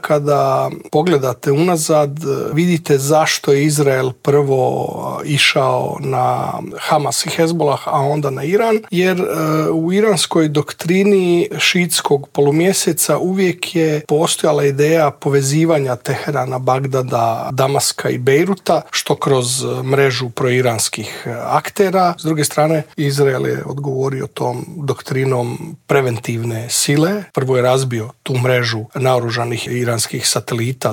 Kada pogledate unazad, vidite zašto je Izrael prvo išao na Hamas i Hezbollah, a onda na Iran, jer u iranskoj doktrini šiitskog polumjeseca uvijek je postojala ideja povezivanja Teherana, Bagdada, Damaska i Bejruta, što kroz mrežu proiranskih aktera. S druge strane, Izrael je odgovorio tom doktrinom preventivne sile. Prvo je razbio tu mrežu naoružanih iranskih satelita